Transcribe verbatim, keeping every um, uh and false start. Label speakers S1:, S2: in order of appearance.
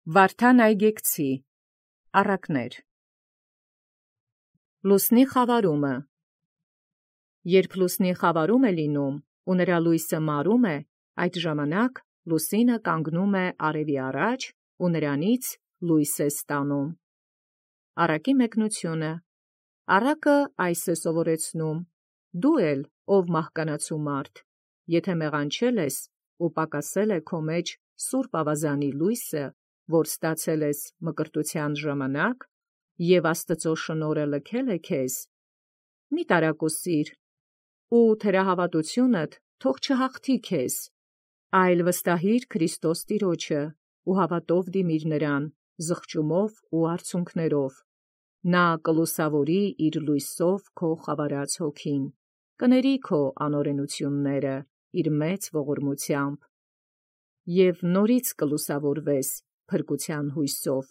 S1: Վարդան Այգեկցի առակներ Լուսնի խավարումը Երբ լուսնի խավարում է լինում, ու նրա լույսը մարում է, այդ ժամանակ լուսինը կանգնում է արևի առաջ, ու նրանից լույս է ստանում։ Առակի մեկնությունը Առակը այս է սովորեցնում. դու էլ, ով մահկանացու մարդ, եթե մեղանչել ես ու պակասել է քո մեջ սուրբ ավազանի լույսը, որ ստացել ես մկրտության ժամանակ, և Աստծո շնորհը լքել է քեզ, մի տարակուսիր, ու թերահավատութիւնդ թող չհաղթի քեզ, այլ վստահիր Քրիստոս Տիրոջը ու հաւատով դիմիր նրան, զղջումով ու արցունքներով, նա կլուսաւորի իր լույսով քո խավարած հոգին, կների քո անօրենութիւնները իր մեծ ողորմութեամբ, և նորից կլուսաւորվես փրկության յուսով։